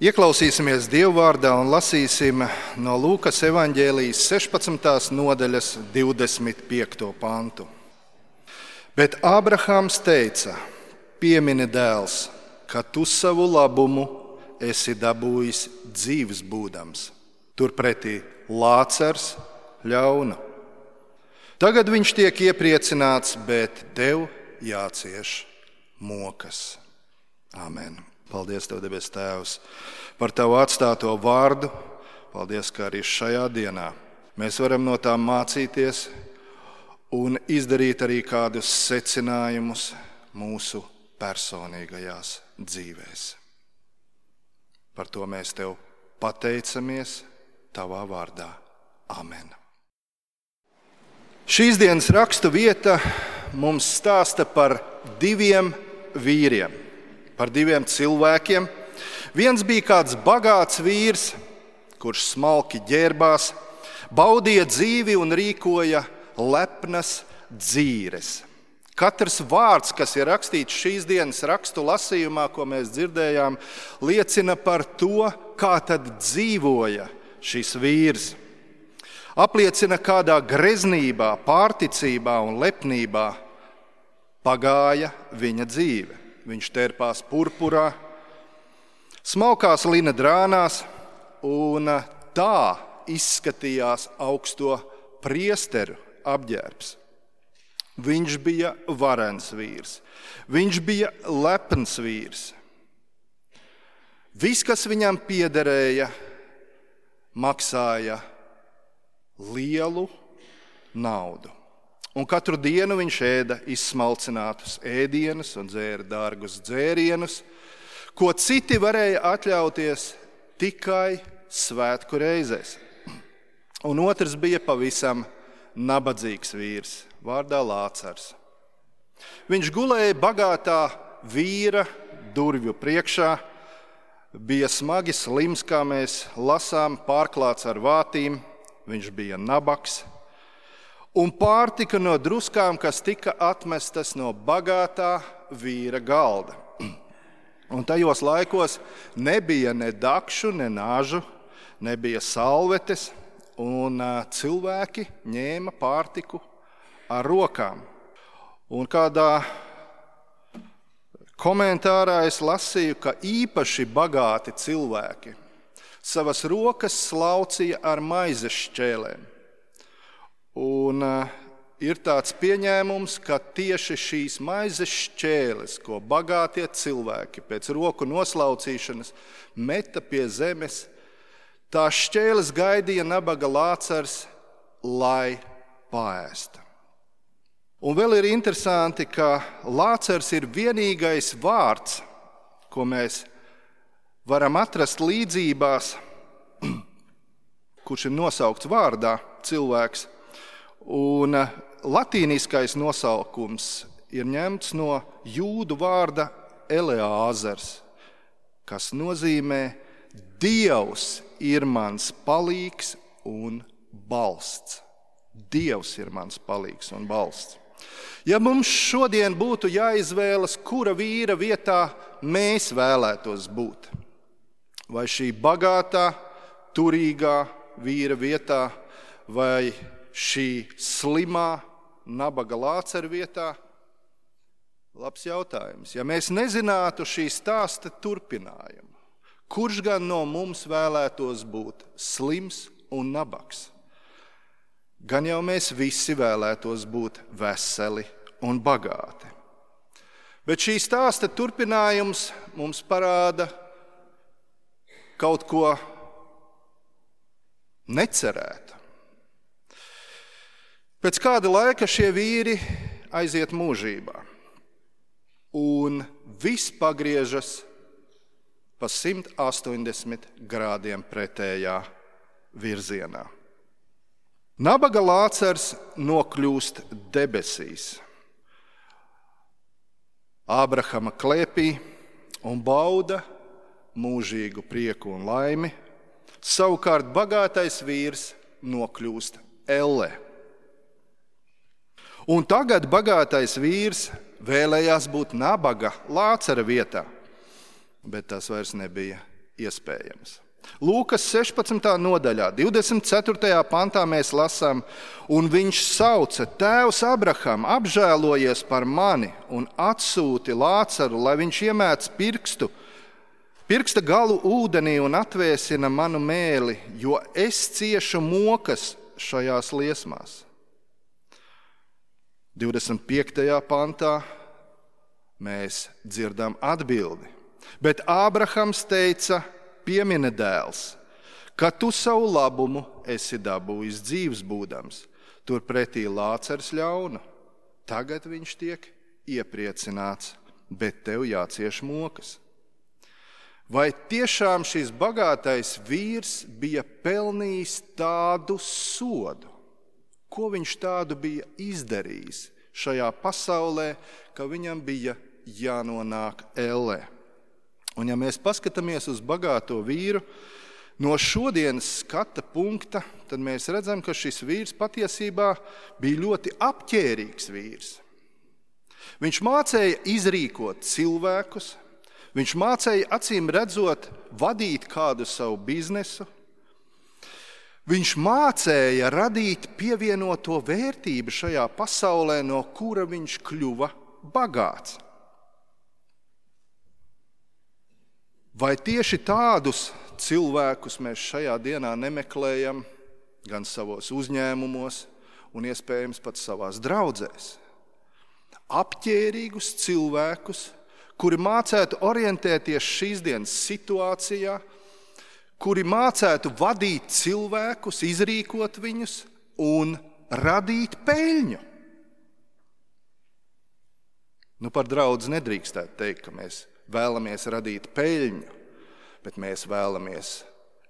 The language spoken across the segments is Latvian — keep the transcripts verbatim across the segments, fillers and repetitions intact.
Ieklausīsimies Dievvvārdā un lasīsim no Lūkas evaņģēlijas sešpadsmitās nodaļas divdesmit piekto pantu. Bet Ābrahāms teica: piemini, dēls, ka tu savu labumu esi dabūjis dzīvs būdams, turpretī Lācars ļaunu. Tagad viņš tiek iepriecināts, bet tev jācieš mokas. Āmen. Paldies Tev, debes Tēvs, par Tavu atstāto vārdu. Paldies, ka arī šajā dienā mēs varam no tā mācīties un izdarīt arī kādus secinājumus mūsu personīgajās dzīvēs. Par to mēs Tev pateicamies Tavā vārdā. Amen. Šīs dienas rakstu vieta mums stāsta par diviem vīriem. Par diviem cilvēkiem. Viens bija kāds bagāts vīrs, kurš smalki ģērbās, baudīja dzīvi un rīkoja lepnas dzīres. Katrs vārds, kas ir rakstīts šīs dienas rakstu lasījumā, ko mēs dzirdējām, liecina par to, kā tad dzīvoja šis vīrs. Apliecina, kādā greznībā, pārticībā un lepnībā pagāja viņa dzīve. Viņš tērpās purpurā, smalkās lina drānās, un tā izskatījās augsto priesteru apģērbs. Viņš bija varens vīrs, viņš bija lepns vīrs. Viss, kas viņam piederēja, maksāja lielu naudu. Un katru dienu viņš ēda izsmalcinātus ēdienus un dzēra dārgus dzērienus, ko citi varēja atļauties tikai svētku reizēs. Un otrs bija pavisam nabadzīgs vīrs, vārdā Lācars. Viņš gulēja bagātā vīra durvju priekšā, bija smagi slims, kā mēs lasām, pārklāts ar vātīm, viņš bija nabaks. Un pārtika no druskām, kas tika atmestas no bagātā vīra galda. Un tajos laikos nebija ne dakšu, ne nāžu, nebija salvetes, un cilvēki ņēma pārtiku ar rokām. Un kādā komentārā es lasīju, ka īpaši bagāti cilvēki savas rokas slaucīja ar maizes šķēlēm. Un uh, ir tāds pieņēmums, ka tieši šīs maizes šķēles, ko bagātie cilvēki pēc roku noslaucīšanas meta pie zemes, tās šķēles gaidīja nabaga Lācars, lai paēsta. Un vēl ir interesanti, ka Lācars ir vienīgais vārds, ko mēs varam atrast līdzībās, kurš ir nosaukts vārdā cilvēks. Un latīniskais nosaukums ir ņemts no jūdu vārda Eleāzars, kas nozīmē Dievs ir mans palīgs un balsts. Dievs ir mans palīgs un balsts. Ja mums šodien būtu jāizvēlas, kura vīra vietā mēs vēlētos būt, vai šī bagātā, turīgā vīra vietā, vai šī slimā nabaga Lācara vietā? Labs jautājums. Ja mēs nezinātu šī stāsta turpinājumu, kurš gan no mums vēlētos būt slims un nabaks? Gan jau mēs visi vēlētos būt veseli un bagāti. Bet šī stāsta turpinājums mums parāda kaut ko necerētu. Pēc kāda laika šie vīri aiziet mūžībā, un viss pagriežas pa simt astoņdesmit grādiem pretējā virzienā. Nabaga Lācars nokļūst debesīs, Ābrahama klēpī, un bauda mūžīgu prieku un laimi. Savukārt bagātais vīrs nokļūst ellē. Un tagad bagātais vīrs vēlējās būt nabaga Lācara vietā, bet tas vairs nebija iespējams. Lūkas sešpadsmitā nodaļā, divdesmit ceturtajā pantā mēs lasām, un viņš sauca: Tēvs Abraham, apžēlojies par mani un atsūti Lācaru, lai viņš iemēc pirkstu, pirksta galu ūdenī un atvēsina manu mēli, jo es ciešu mokas šajās liesmās. divdesmit piektajā pantā mēs dzirdam atbildi, bet Ābrahams teica: Piemini, dēls, ka tu savu labumu esi dabūjis dzīvs būdams, turpretī Lācars ļaunu. Tagad viņš tiek iepriecināts, bet tev jācieš mokas. Vai tiešām šis bagātais vīrs bija pelnījis tādu sodu? Ko viņš tādu bija izdarījis šajā pasaulē, ka viņam bija jānonāk ellē? Un ja mēs paskatāmies uz bagāto vīru no šodienas skata punkta, tad mēs redzam, ka šis vīrs patiesībā bija ļoti apķērīgs vīrs. Viņš mācēja izrīkot cilvēkus, viņš mācēja acīm redzot vadīt kādu savu biznesu, viņš mācēja radīt pievienoto vērtību šajā pasaulē, no kura viņš kļuva bagāts. Vai tieši tādus cilvēkus mēs šajā dienā nemeklējam gan savos uzņēmumos un iespējams pat savās draudzēs? Apķērīgus cilvēkus, kuri mācētu orientēties šīs dienas situācijā, kuri mācētu vadīt cilvēkus, izrīkot viņus un radīt peļņu. Nu, par draudzi nedrīkstētu teikt, ka mēs vēlamies radīt peļņu, bet mēs vēlamies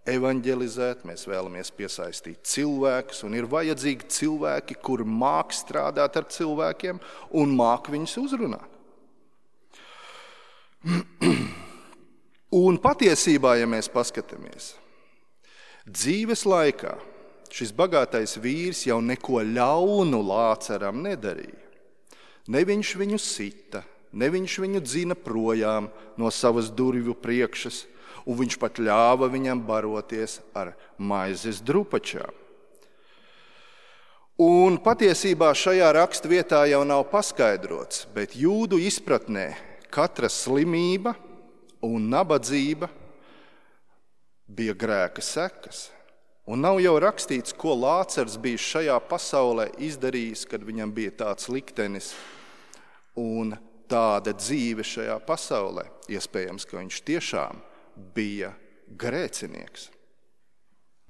evanģelizēt, mēs vēlamies piesaistīt cilvēkus, un ir vajadzīgi cilvēki, kuri māk strādāt ar cilvēkiem un māk viņus uzrunāt. Un patiesībā, ja mēs paskatāmies, dzīves laikā šis bagātais vīrs jau neko ļaunu Lācaram nedarīja. Ne viņš viņu sita, ne viņš viņu dzina projām no savas durvju priekšas, un viņš pat ļāva viņam baroties ar maizes drupačām. Un patiesībā šajā rakstvietā jau nav paskaidrots, bet jūdu izpratnē katra slimība un nabadzība bija grēka sekas. Un nav jau rakstīts, ko Lācars bija šajā pasaulē izdarījis, kad viņam bija tāds liktenis un tāda dzīve šajā pasaulē. Iespējams, ka viņš tiešām bija grēcinieks.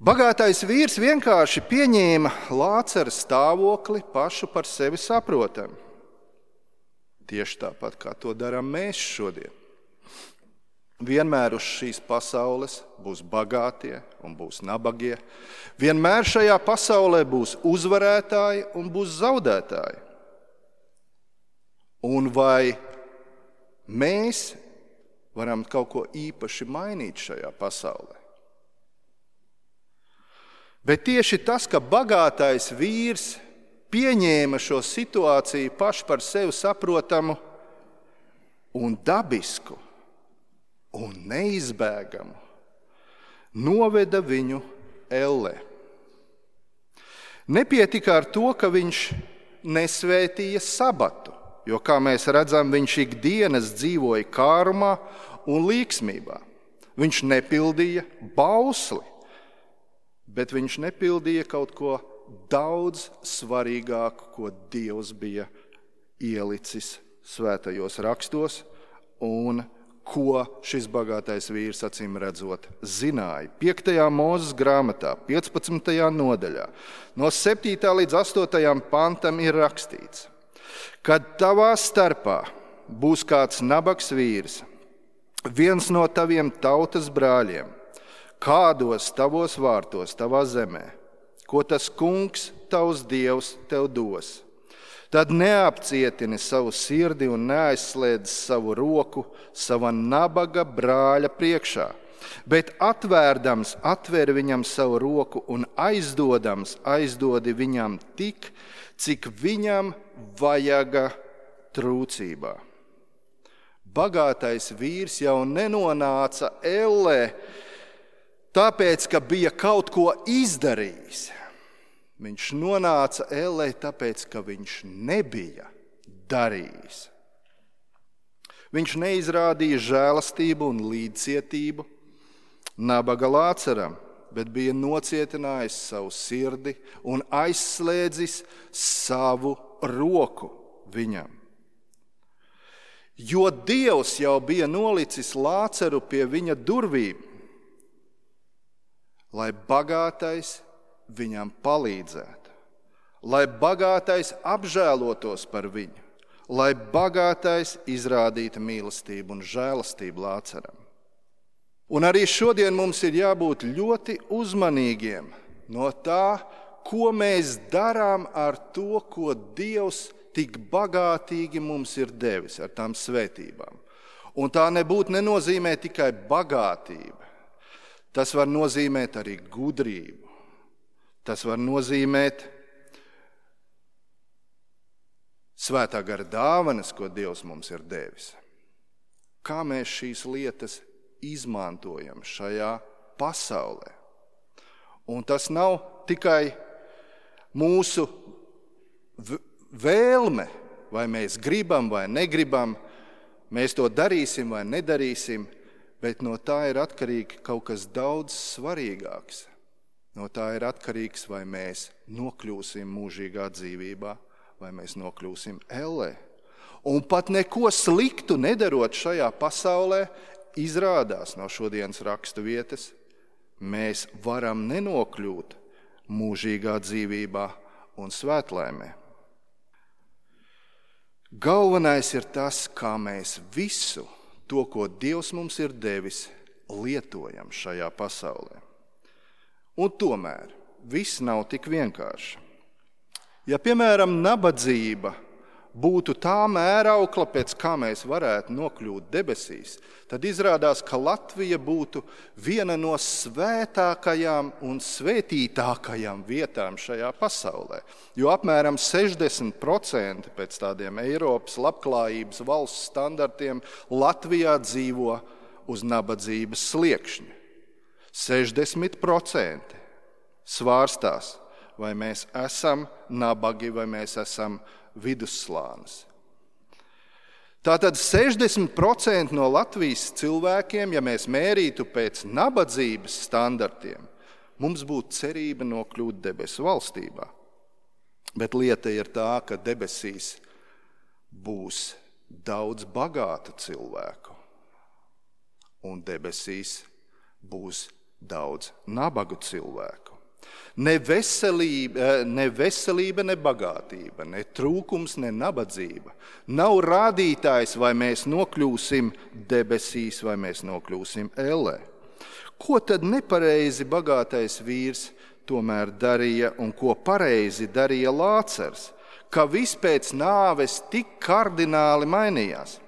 Bagātais vīrs vienkārši pieņēma Lācara stāvokli pašu par sevi saprotam. Tieši tāpat, kā to darām mēs šodien. Vienmēr uz šīs pasaules būs bagātie un būs nabagie. Vienmēr šajā pasaulē būs uzvarētāji un būs zaudētāji. Un vai mēs varam kaut ko īpaši mainīt šajā pasaulē? Bet tieši tas, ka bagātais vīrs pieņēma šo situāciju paši par sevi saprotamu un dabisku un neizbēgamu, noveda viņu ellē. Nepietika ar to, ka viņš nesvētīja sabatu, jo, kā mēs redzam, viņš ikdienas dzīvoja kārumā un līksmībā. Viņš nepildīja bausli, bet viņš nepildīja kaut ko daudz svarīgāku, ko Dievs bija ielicis svētajos rakstos un ko šis bagātais vīrs acīm redzot zināja. piektajā Mūzes grāmatā, piecpadsmitajā nodaļā, no septītā līdz astotajam pantam ir rakstīts: Kad tavā starpā būs kāds nabags vīrs, viens no taviem tautas brāļiem, kādos tavos vārtos, tavā zemē, ko tas kungs, tavs Dievs, tev dos, tad neapcietini savu sirdi un neaizslēdz savu roku sava nabaga brāļa priekšā, bet atvērdams atver viņam savu roku un aizdodams aizdodi viņam tik, cik viņam vajaga trūcībā. Bagātais vīrs jau nenonāca ellē, tāpēc, ka bija kaut ko izdarījis. Viņš nonāca ellē, tāpēc, ka viņš nebija darījis. Viņš neizrādīja žēlastību un līdzcietību nabaga Lāceram, bet bija nocietinājis savu sirdi un aizslēdzis savu roku viņam. Jo Dievs jau bija nolicis Lāceru pie viņa durvīm, lai bagātais viņam palīdzētu, lai bagātais apžēlotos par viņu, lai bagātais izrādītu mīlestību un žēlastību Lāceram. Un arī šodien mums ir jābūt ļoti uzmanīgiem no tā, ko mēs darām ar to, ko Dievs tik bagātīgi mums ir devis ar tām svētībām. Un tā nebūtu nenozīmē tikai bagātība. Tas var nozīmēt arī gudrību. Tas var nozīmēt svētā gara dāvanas, ko Dievs mums ir devis. Kā mēs šīs lietas izmantojam šajā pasaulē. Un tas nav tikai mūsu vēlme, vai mēs gribam vai negribam, mēs to darīsim vai nedarīsim, bet no tā ir atkarīgi kaut kas daudz svarīgāks. No tā ir atkarīgs, vai mēs nokļūsim mūžīgā dzīvībā, vai mēs nokļūsim ellē. Un pat neko sliktu nedarot šajā pasaulē, izrādās no šodienas rakstu vietas, mēs varam nenokļūt mūžīgā dzīvībā un svētlaimē. Galvenais ir tas, kā mēs visu to, ko Dievs mums ir devis, lietojam šajā pasaulē. Un tomēr viss nav tik vienkārši. Ja, piemēram, nabadzība būtu tā mēraukla, pēc kā mēs varētu nokļūt debesīs, tad izrādās, ka Latvija būtu viena no svētākajām un svētītākajām vietām šajā pasaulē. Jo apmēram sešdesmit procenti pēc tādiem Eiropas labklājības valsts standartiem Latvijā dzīvo uz nabadzības sliekšņa. sešdesmit procenti svārstās, vai mēs esam nabagi, vai mēs esam vidusslānis. Tātad sešdesmit procenti no Latvijas cilvēkiem, ja mēs mērītu pēc nabadzības standartiem, mums būtu cerība nokļūt debesu valstībā. Bet lieta ir tā, ka debesīs būs daudz bagātu cilvēku, un debesīs būs daudz nabagu cilvēku. Ne veselība, ne veselība, ne bagātība, ne trūkums, ne nabadzība. Nav rādītājs, vai mēs nokļūsim debesīs, vai mēs nokļūsim ellē. Ko tad nepareizi bagātais vīrs tomēr darīja un ko pareizi darīja Lācers, ka viss pēc nāves tik kardināli mainījās?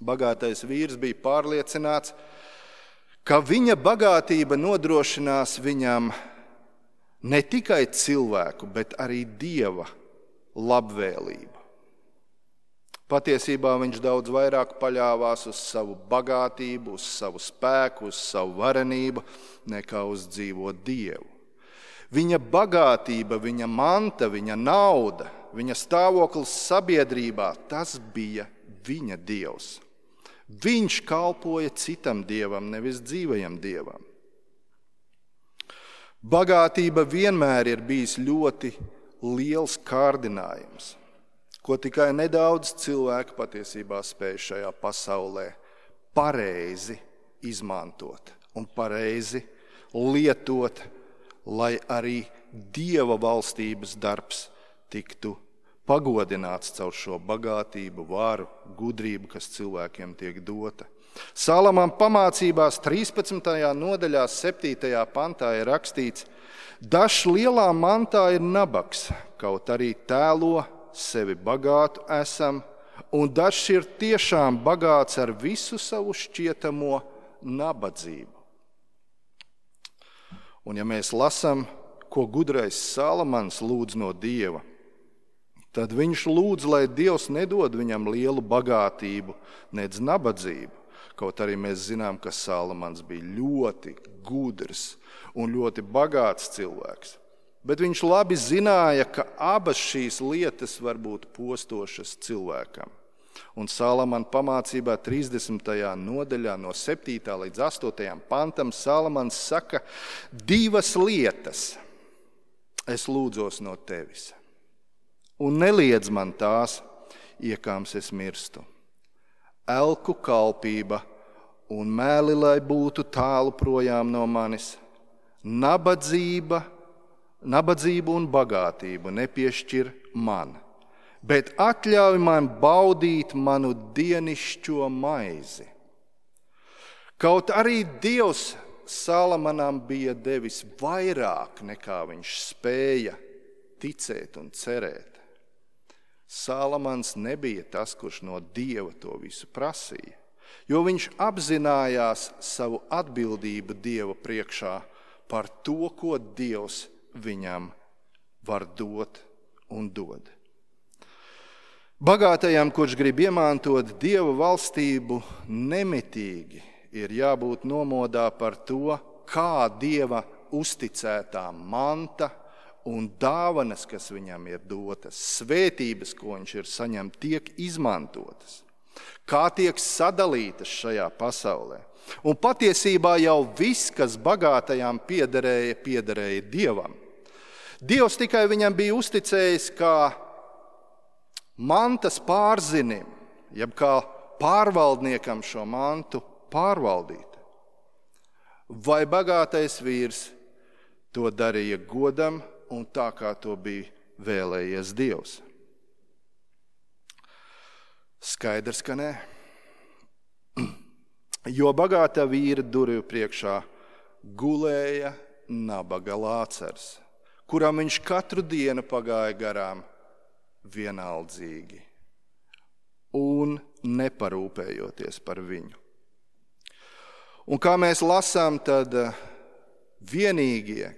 Bagātais vīrs bija pārliecināts, ka viņa bagātība nodrošinās viņam ne tikai cilvēku, bet arī Dieva labvēlību. Patiesībā viņš daudz vairāk paļāvās uz savu bagātību, uz savu spēku, uz savu varenību, nekā uz dzīvo Dievu. Viņa bagātība, viņa manta, viņa nauda, viņa stāvoklis sabiedrībā, tas bija viņa Dievs. Viņš kalpoja citam dievam, nevis dzīvajam dievam. Bagātība vienmēr ir bijis ļoti liels kārdinājums, ko tikai nedaudz cilvēku patiesībā spēj šajā pasaulē pareizi izmantot un pareizi lietot, lai arī Dieva valstības darbs tiktu pagodināts caur šo bagātību, varu, gudrību, kas cilvēkiem tiek dota. Salamam pamācībās trīspadsmitajā nodaļā, septītajā pantā ir rakstīts: dažs lielā mantā ir nabaks, kaut arī tēlo sevi bagātu esam, un dažs ir tiešām bagāts ar visu savu šķietamo nabadzību. Un ja mēs lasām, ko gudrais Salamans lūdz no Dieva, Tad viņš lūdz, lai Dievs nedod viņam lielu bagātību, nedz nabadzību. Kaut arī mēs zinām, ka Salamans bija ļoti gudrs un ļoti bagāts cilvēks. Bet viņš labi zināja, ka abas šīs lietas var būt postošas cilvēkam. Un Salamana pamācībā trīsdesmitajā nodaļā no septītā līdz astotajam pantam Salamans saka, divas lietas es lūdzos no tevis. Un neliedz man tās, iekāms es mirstu. Elku kalpība un mēli, lai būtu tālu projām no manis. Nabadzība, nabadzību un bagātību nepiešķir man, bet atļauj man baudīt manu dienišķo maizi. Kaut arī Dievs Salamanam bija devis vairāk nekā viņš spēja ticēt un cerēt. Salamans nebija tas, kurš no Dieva to visu prasīja, jo viņš apzinājās savu atbildību Dieva priekšā par to, ko Dievs viņam var dot un dod. Bagātajam, kurš grib iemantot Dieva valstību, nemitīgi ir jābūt nomodā par to, kā Dieva uzticētā manta un dāvanas, kas viņam ir dotas, svētības, ko viņš ir saņemts, tiek izmantotas, kā tiek sadalītas šajā pasaulē. Un patiesībā jau viss, kas bagātajām piederēja, piederēja Dievam. Dievs tikai viņam bija uzticējis kā mantas pārzinim, jeb kā pārvaldniekam šo mantu pārvaldīt. Vai bagātais vīrs to darīja godam un tā, kā to bija vēlējies Dievs? Skaidrs, ka nē. Jo bagātā vīra durvju priekšā gulēja nabaga Lācars, kuram viņš katru dienu pagāja garām vienaldzīgi un neparūpējoties par viņu. Un kā mēs lasām, tad vienīgie,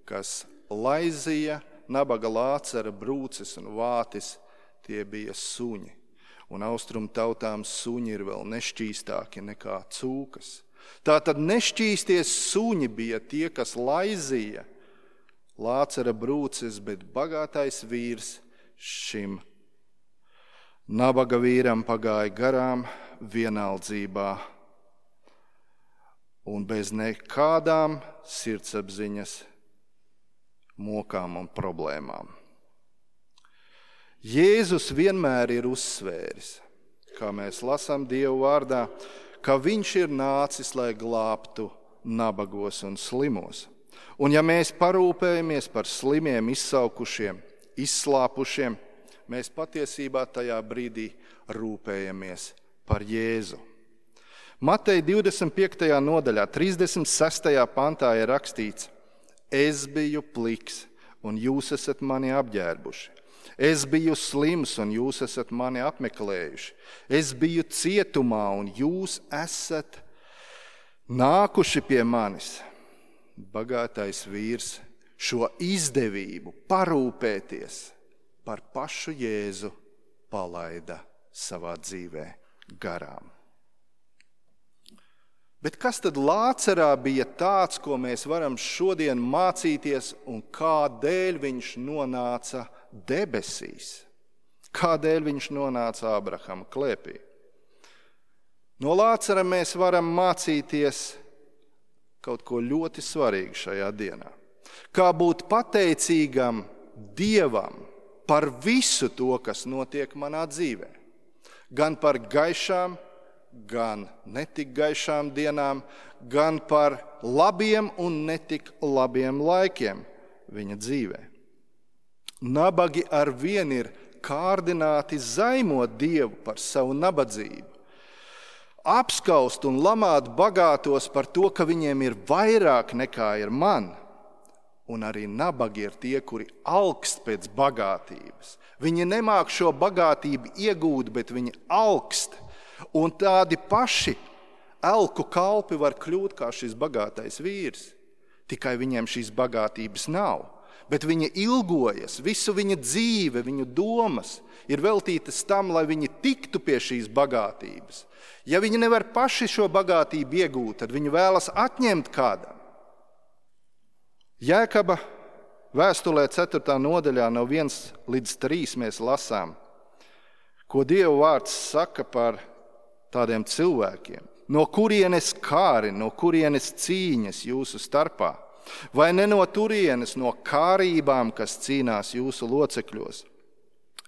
kas laizīja nabaga Lācara brūces un vātis, tie bija suņi. Un austrumu tautām suņi ir vēl nešķīstāki nekā cūkas. Tātad nešķīsties suņi bija tie, kas laizīja Lācara brūces, bet bagātais vīrs šim nabaga vīram pagāja garām vienaldzībā un bez nekādām sirdsapziņas mokām un problēmām. Jēzus vienmēr ir uzsvēris, kā mēs lasām Dievu vārdā, ka viņš ir nācis, lai glābtu nabagos un slimos. Un ja mēs parūpējamies par slimiem, izsaukušiem, izslāpušiem, mēs patiesībā tajā brīdī rūpējamies par Jēzu. Mateja divdesmit piektajā nodaļā, trīsdesmit sestajā pantā ir rakstīts: Es biju pliks, un jūs esat mani apģērbuši. Es biju slims, un jūs esat mani apmeklējuši. Es biju cietumā, un jūs esat nākuši pie manis. Bagātais vīrs šo izdevību parūpēties par pašu Jēzu palaida savā dzīvē garām. Bet kas tad Lācarā bija tāds, ko mēs varam šodien mācīties un kādēļ viņš nonāca debesīs? Kādēļ viņš nonāca Ābrahama klēpī? No Lācara mēs varam mācīties kaut ko ļoti svarīgu šajā dienā. Kā būt pateicīgam Dievam par visu to, kas notiek manā dzīvē. Gan par gaišām, gan netik gaišām dienām, gan par labiem un netik labiem laikiem viņa dzīvē. Nabagi ar vien ir kārdināti zaimot Dievu par savu nabadzību, apskaust un lamāt bagātos par to, ka viņiem ir vairāk nekā ir man. Un arī nabagi ir tie, kuri alkst pēc bagātības. Viņi nemāk šo bagātību iegūt, bet viņi alkst. Un tādi paši elku kalpi var kļūt kā šis bagātais vīrs. Tikai viņiem šīs bagātības nav. bet viņa ilgojas, visu viņa dzīve, viņu domas ir veltītas tam, lai viņi tiktu pie šīs bagātības. Ja viņi nevar paši šo bagātību iegūt, tad viņi vēlas atņemt kādam. Jēkaba vēstulē ceturtā nodaļā no viens līdz trīs mēs lasām, ko Dieva vārds saka par tādiem cilvēkiem. No kurienes kāri, no kurienes cīņas jūsu starpā? Vai ne no turienes, no kārībām, kas cīnās jūsu locekļos?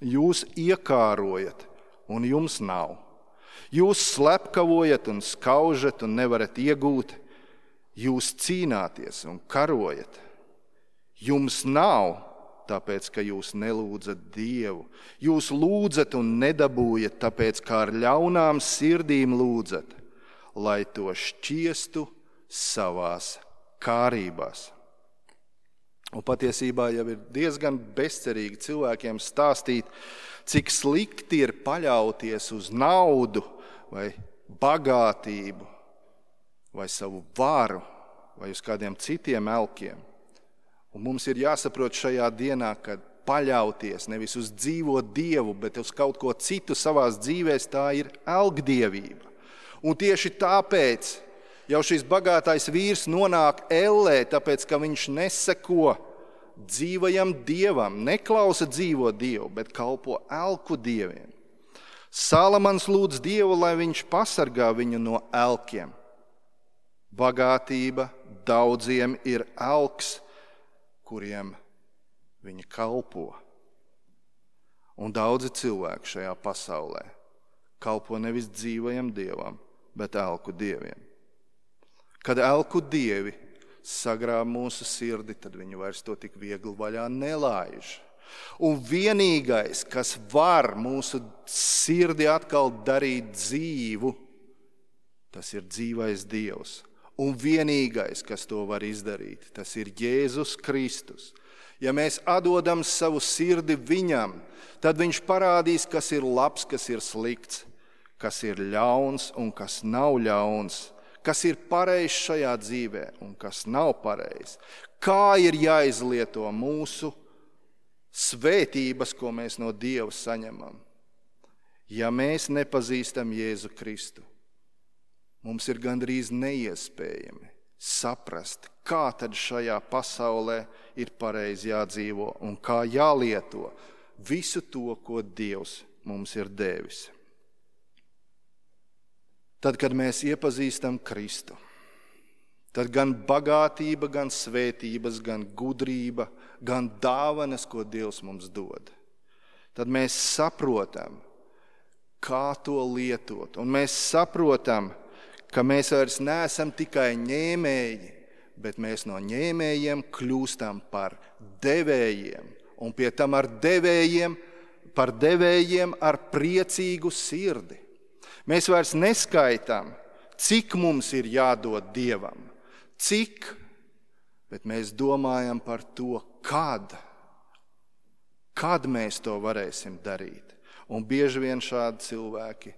Jūs iekārojat, un jums nav. Jūs slepkavojat un skaužat un nevarat iegūt. Jūs cīnāties un karojat. Jums nav, tāpēc, ka jūs nelūdzat Dievu. Jūs lūdzat un nedabūjat, tāpēc, kā ar ļaunām sirdīm lūdzat, lai to šķiestu savās kārībās. Un patiesībā jau ir diezgan bezcerīgi cilvēkiem stāstīt, cik slikti ir paļauties uz naudu vai bagātību vai savu varu vai uz kādiem citiem elkiem. Un mums ir jāsaprot šajā dienā, ka paļauties nevis uz dzīvo Dievu, bet uz kaut ko citu savās dzīvēs, tā ir elgdievība. Un tieši tāpēc jau šis bagātais vīrs nonāk ellē, tāpēc, ka viņš neseko dzīvajam Dievam, neklausa dzīvo Dievu, bet kalpo elku dieviem. Salamans lūdz Dievu, lai viņš pasargā viņu no elkiem. Bagātība daudziem ir elks, kuriem viņi kalpo. Un daudzi cilvēki šajā pasaulē kalpo nevis dzīvajam Dievam, bet elku dieviem. Kad elku dievi sagrāb mūsu sirdi, tad viņi vairs to tik viegli vaļā nelaiž. Un vienīgais, kas var mūsu sirdi atkal darīt dzīvu, tas ir dzīvais Dievs. Un vienīgais, kas to var izdarīt, tas ir Jēzus Kristus. Ja mēs atdodam savu sirdi viņam, tad viņš parādīs, kas ir labs, kas ir slikts, kas ir ļauns un kas nav ļauns, kas ir pareizs šajā dzīvē un kas nav pareizs. Kā ir jāizlieto mūsu svētības, ko mēs no Dieva saņemam. Ja mēs nepazīstam Jēzu Kristu, mums ir gandrīz neiespējami saprast, kā tad šajā pasaulē ir pareizi jādzīvo un kā jālieto visu to, ko Dievs mums ir devis. Tad, kad mēs iepazīstam Kristu, tad gan bagātība, gan svētības, gan gudrība, gan dāvanas, ko Dievs mums dod, tad mēs saprotam, kā to lietot. Un mēs saprotam, ka mēs vairs neesam tikai ņēmēji, bet mēs no ņēmējiem kļūstam par devējiem. Un pie tam ar devējiem, par devējiem ar priecīgu sirdi. Mēs vairs neskaitām, cik mums ir jādod Dievam, cik, bet mēs domājam par to, kad, kad mēs to varēsim darīt. Un bieži vien šādi cilvēki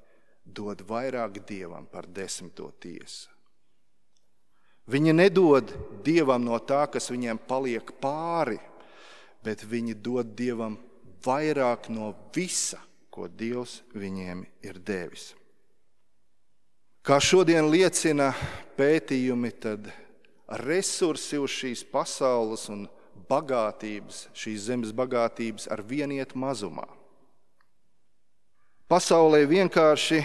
dod vairāk Dievam par desmito tiesu. Viņi nedod Dievam no tā, kas viņiem paliek pāri, bet viņi dod Dievam vairāk no visa, ko Dievs viņiem ir devis. Kā šodien liecina pētījumi, tad resursi uz šīs pasaules un bagātības, šīs zemes bagātības ar vien iet mazumā. Pasaulē vienkārši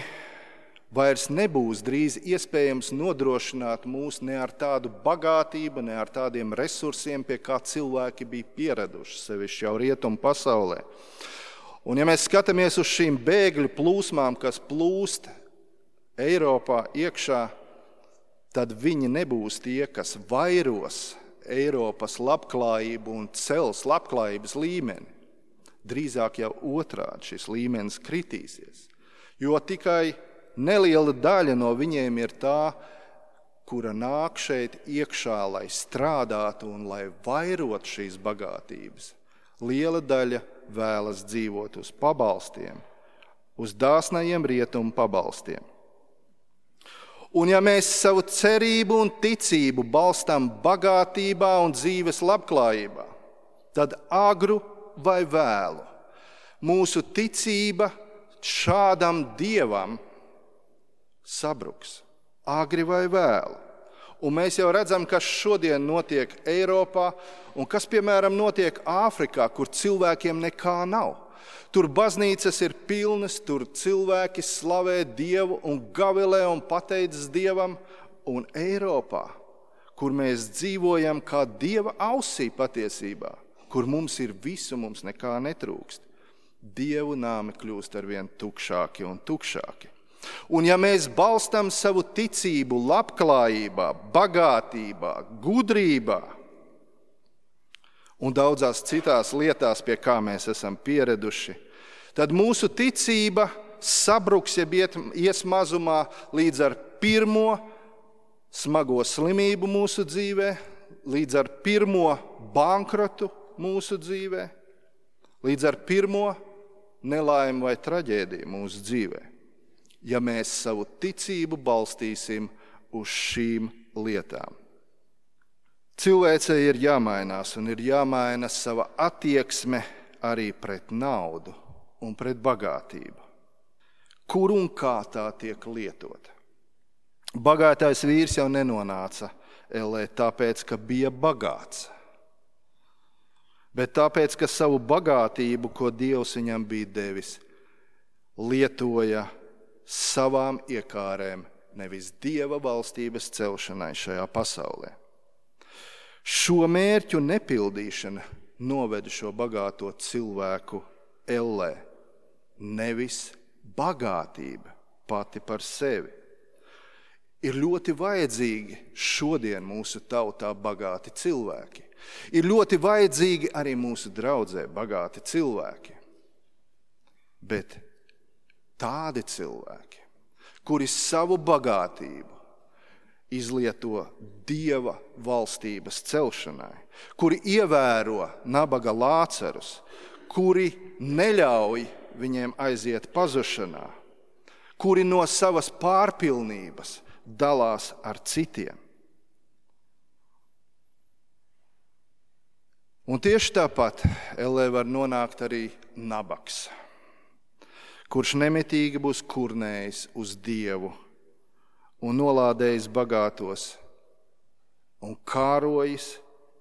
vairs nebūs drīz iespējams nodrošināt mūs ne ar tādu bagātību, ne ar tādiem resursiem, pie kā cilvēki bija pieraduši, sevišķi jau rietumu pasaulē. Un ja mēs skatāmies uz šīm bēgļu plūsmām, kas plūst Eiropā iekšā, tad viņi nebūs tie, kas vairos Eiropas labklājību un cels labklājības līmeni. Drīzāk jau otrādi šis līmenis kritīsies, jo tikai neliela daļa no viņiem ir tā, kura nāk šeit iekšā, lai strādātu un lai vairot šīs bagātības. Liela daļa vēlas dzīvot uz pabalstiem, uz dāsnajiem rietumu pabalstiem. Un ja mēs savu cerību un ticību balstam bagātībā un dzīves labklājībā, tad agru vai vēlu mūsu ticība šādam Dievam sabruks. Agri vai vēlu. Un mēs jau redzam, kas šodien notiek Eiropā un kas, piemēram, notiek Āfrikā, kur cilvēkiem nekā nav. Tur baznīcas ir pilnas, tur cilvēki slavē Dievu un gavilē un pateicas Dievam. Un Eiropā, kur mēs dzīvojam kā Dieva ausī patiesībā, kur mums ir visu, mums nekā netrūkst, Dievu nāmi kļūst arvien tukšāki un tukšāki. Un ja mēs balstam savu ticību labklājībā, bagātībā, gudrībā un daudzās citās lietās, pie kā mēs esam pieraduši, tad mūsu ticība sabruks, ja ies mazumā līdz ar pirmo smago slimību mūsu dzīvē, līdz ar pirmo bankrotu mūsu dzīvē, līdz ar pirmo nelaimi vai traģēdiju mūsu dzīvē, ja mēs savu ticību balstīsim uz šīm lietām. Cilvēcei ir jāmainās un ir jāmaina sava attieksme arī pret naudu un pret bagātību. Kur un kā tā tiek lietota? Bagātais vīrs jau nenonāca ellē tāpēc, ka bija bagāts, bet tāpēc, ka savu bagātību, ko Dievs viņam bija devis, lietoja savām iekārēm, nevis Dieva valstības celšanai šajā pasaulē. Šo mērķu nepildīšana noveda šo bagāto cilvēku ellē, nevis bagātība pati par sevi. Ir ļoti vajadzīgi šodien mūsu tautā bagāti cilvēki. Ir ļoti vajadzīgi arī mūsu draudzē bagāti cilvēki. Bet tādi cilvēki, kuri savu bagātību izlieto Dieva valstības celšanai, kuri ievēro nabaga Lācarus, kuri neļauj viņiem aiziet pazušanā, kuri no savas pārpilnības dalās ar citiem. Un tieši tāpat ellē var nonākt arī nabaks, kurš nemitīgi būs kurnējis uz Dievu un nolādējis bagātos un kārojis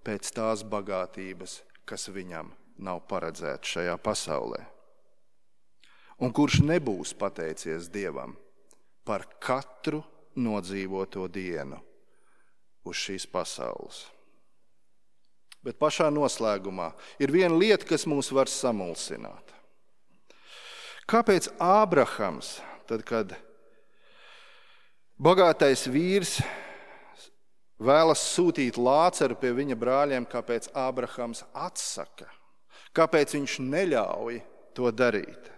pēc tās bagātības, kas viņam nav paredzēta šajā pasaulē. Un kurš nebūs pateicies Dievam par katru nodzīvoto dienu uz šīs pasaules. Bet pašā noslēgumā ir viena lieta, kas mūs var samulsināt. Kāpēc Ābrahams, tad, kad bagātais vīrs vēlas sūtīt Lācaru pie viņa brāļiem, kāpēc Ābrahams atsaka? Kāpēc viņš neļauj to darīt?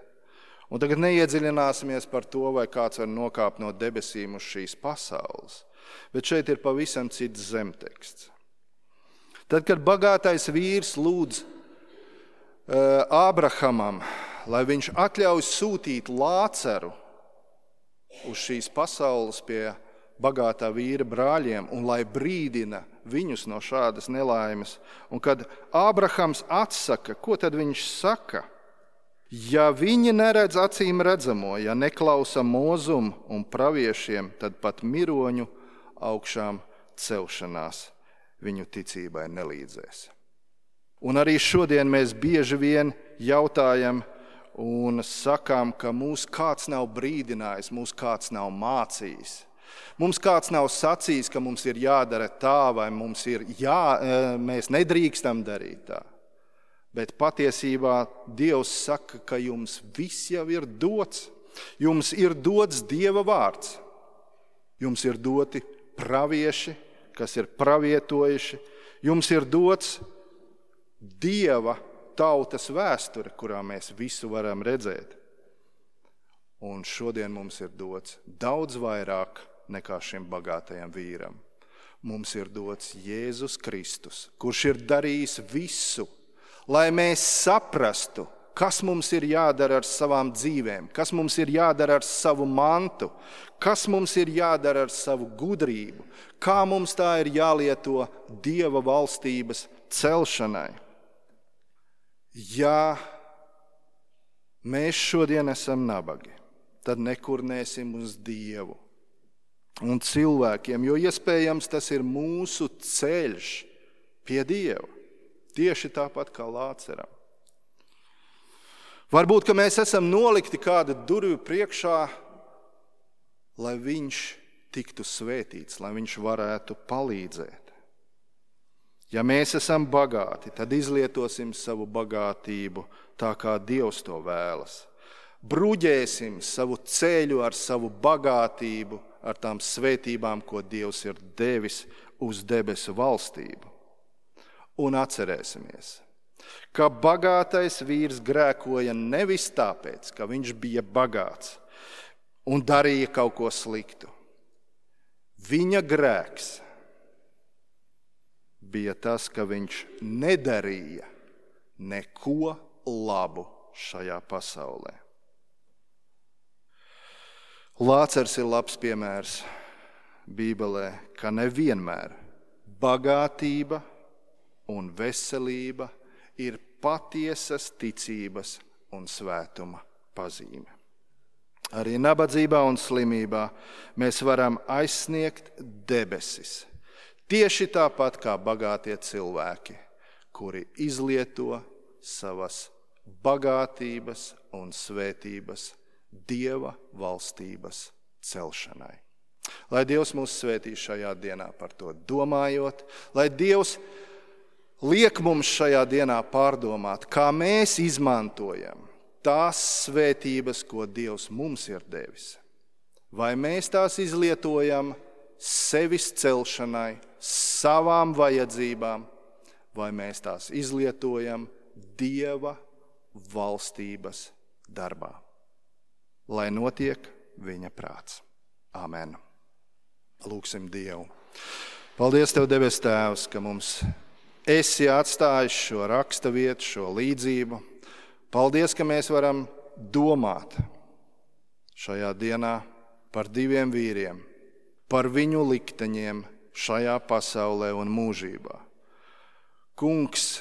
Un tagad neiedziļināsimies par to, vai kāds var nokāpt no debesīm uz šīs pasaules. Bet šeit ir pavisam cits zemteksts. Tad, kad bagātais vīrs lūdz uh, Ābrahamam, lai viņš atļauj sūtīt Lācaru uz šīs pasaules pie bagātā vīra brāļiem un lai brīdina viņus no šādas nelaimes, un kad Ābrahams atsaka, ko tad viņš saka? Ja viņi neredz acīm redzamo, ja neklausa mūzumu un praviešiem, tad pat miroņu augšām celšanās viņu ticībai nelīdzēs. Un arī šodien mēs bieži vien jautājam un sakām, ka mūs kāds nav brīdinājis, mūs kāds nav mācījis. Mums kāds nav sacījis, ka mums ir jādara tā vai mums ir jā, mēs nedrīkstam darīt tā. Bet patiesībā Dievs saka, ka jums viss jau ir dots. Jums ir dots Dieva vārds. Jums ir doti pravieši, kas ir pravietojuši. Jums ir dots Dieva tautas vēsture, kurā mēs visu varam redzēt. Un šodien mums ir dots daudz vairāk nekā šim bagātajam vīram. Mums ir dots Jēzus Kristus, kurš ir darījis visu, lai mēs saprastu, kas mums ir jādara ar savām dzīvēm, kas mums ir jādara ar savu mantu, kas mums ir jādara ar savu gudrību, kā mums tā ir jālieto Dieva valstības celšanai. Ja mēs šodien esam nabagi, tad nekurnēsim uz Dievu un cilvēkiem, jo iespējams tas ir mūsu ceļš pie Dieva, tieši tāpat kā Lāceram. Varbūt, ka mēs esam nolikti kāda durvju priekšā, lai viņš tiktu svētīts, lai viņš varētu palīdzēt. Ja mēs esam bagāti, tad izlietosim savu bagātību tā, kā Dievs to vēlas. Bruģēsim savu ceļu ar savu bagātību, ar tām svētībām, ko Dievs ir devis uz debesu valstību. Un atcerēsimies, ka bagātais vīrs grēkoja nevis tāpēc, ka viņš bija bagāts un darīja kaut ko sliktu. Viņa grēks bija tas, ka viņš nedarīja neko labu šajā pasaulē. Lācers ir labs piemērs Bībelē, ka nevienmēr bagātība un veselība ir patiesas ticības un svētuma pazīme. Arī nabadzībā un slimībā mēs varam aizsniegt debesis. Tieši tāpat kā bagātie cilvēki, kuri izlieto savas bagātības un svētības Dieva valstības celšanai. Lai Dievs mūs svētī šajā dienā par to domājot, lai Dievs liek mums šajā dienā pārdomāt, kā mēs izmantojam tās svētības, ko Dievs mums ir devis. Vai mēs tās izlietojam sevis celšanai, savām vajadzībām, vai mēs tās izlietojam Dieva valstības darbā. Lai notiek viņa prāts. Amen. Lūksim Dievu. Paldies Tev, debes Tēvs, ka mums esi atstājis šo raksta vietu, šo līdzību. Paldies, ka mēs varam domāt šajā dienā par diviem vīriem, par viņu likteņiem šajā pasaulē un mūžībā. Kungs,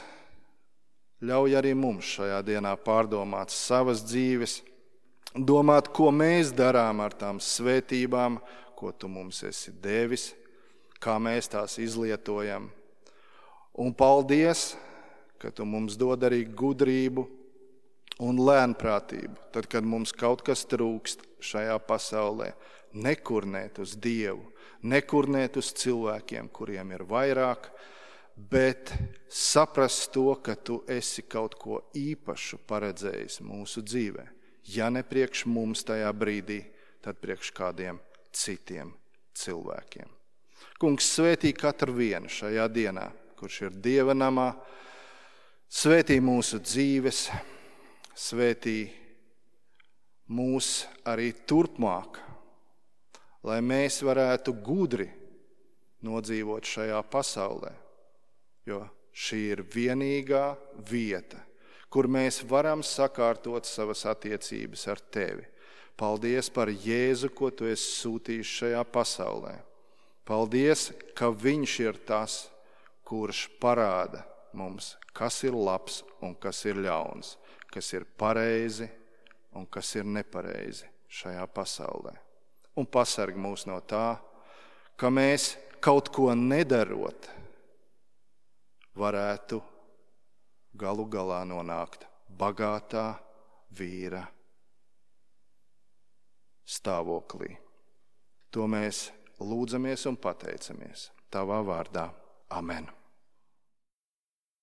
ļauj arī mums šajā dienā pārdomāt savas dzīves, domāt, ko mēs darām ar tām svētībām, ko Tu mums esi devis, kā mēs tās izlietojam. Un paldies, ka Tu mums dod arī gudrību un lēnprātību, tad, kad mums kaut kas trūkst šajā pasaulē, nekurnēt uz Dievu, nekurnēt uz cilvēkiem, kuriem ir vairāk, bet saprast to, ka Tu esi kaut ko īpašu paredzējis mūsu dzīvē. Ja ne priekš mums tajā brīdī, tad priekš kādiem citiem cilvēkiem. Kungs, svētī katru vienu šajā dienā, kurš ir Dieva namā, svētī mūsu dzīves, svētī mūs arī turpmāk, lai mēs varētu gudri nodzīvot šajā pasaulē, jo šī ir vienīgā vieta, kur mēs varam sakārtot savas attiecības ar Tevi. Paldies par Jēzu, ko Tu esi sūtījis šajā pasaulē. Paldies, ka Viņš ir tas, kurš parāda mums, kas ir labs un kas ir ļauns, kas ir pareizi un kas ir nepareizi šajā pasaulē. Un pasarg mūs no tā, ka mēs kaut ko nedarot varētu galu galā nonākt bagātā vīra stāvoklī. To mēs lūdzamies un pateicamies Tavā vārdā. Amen.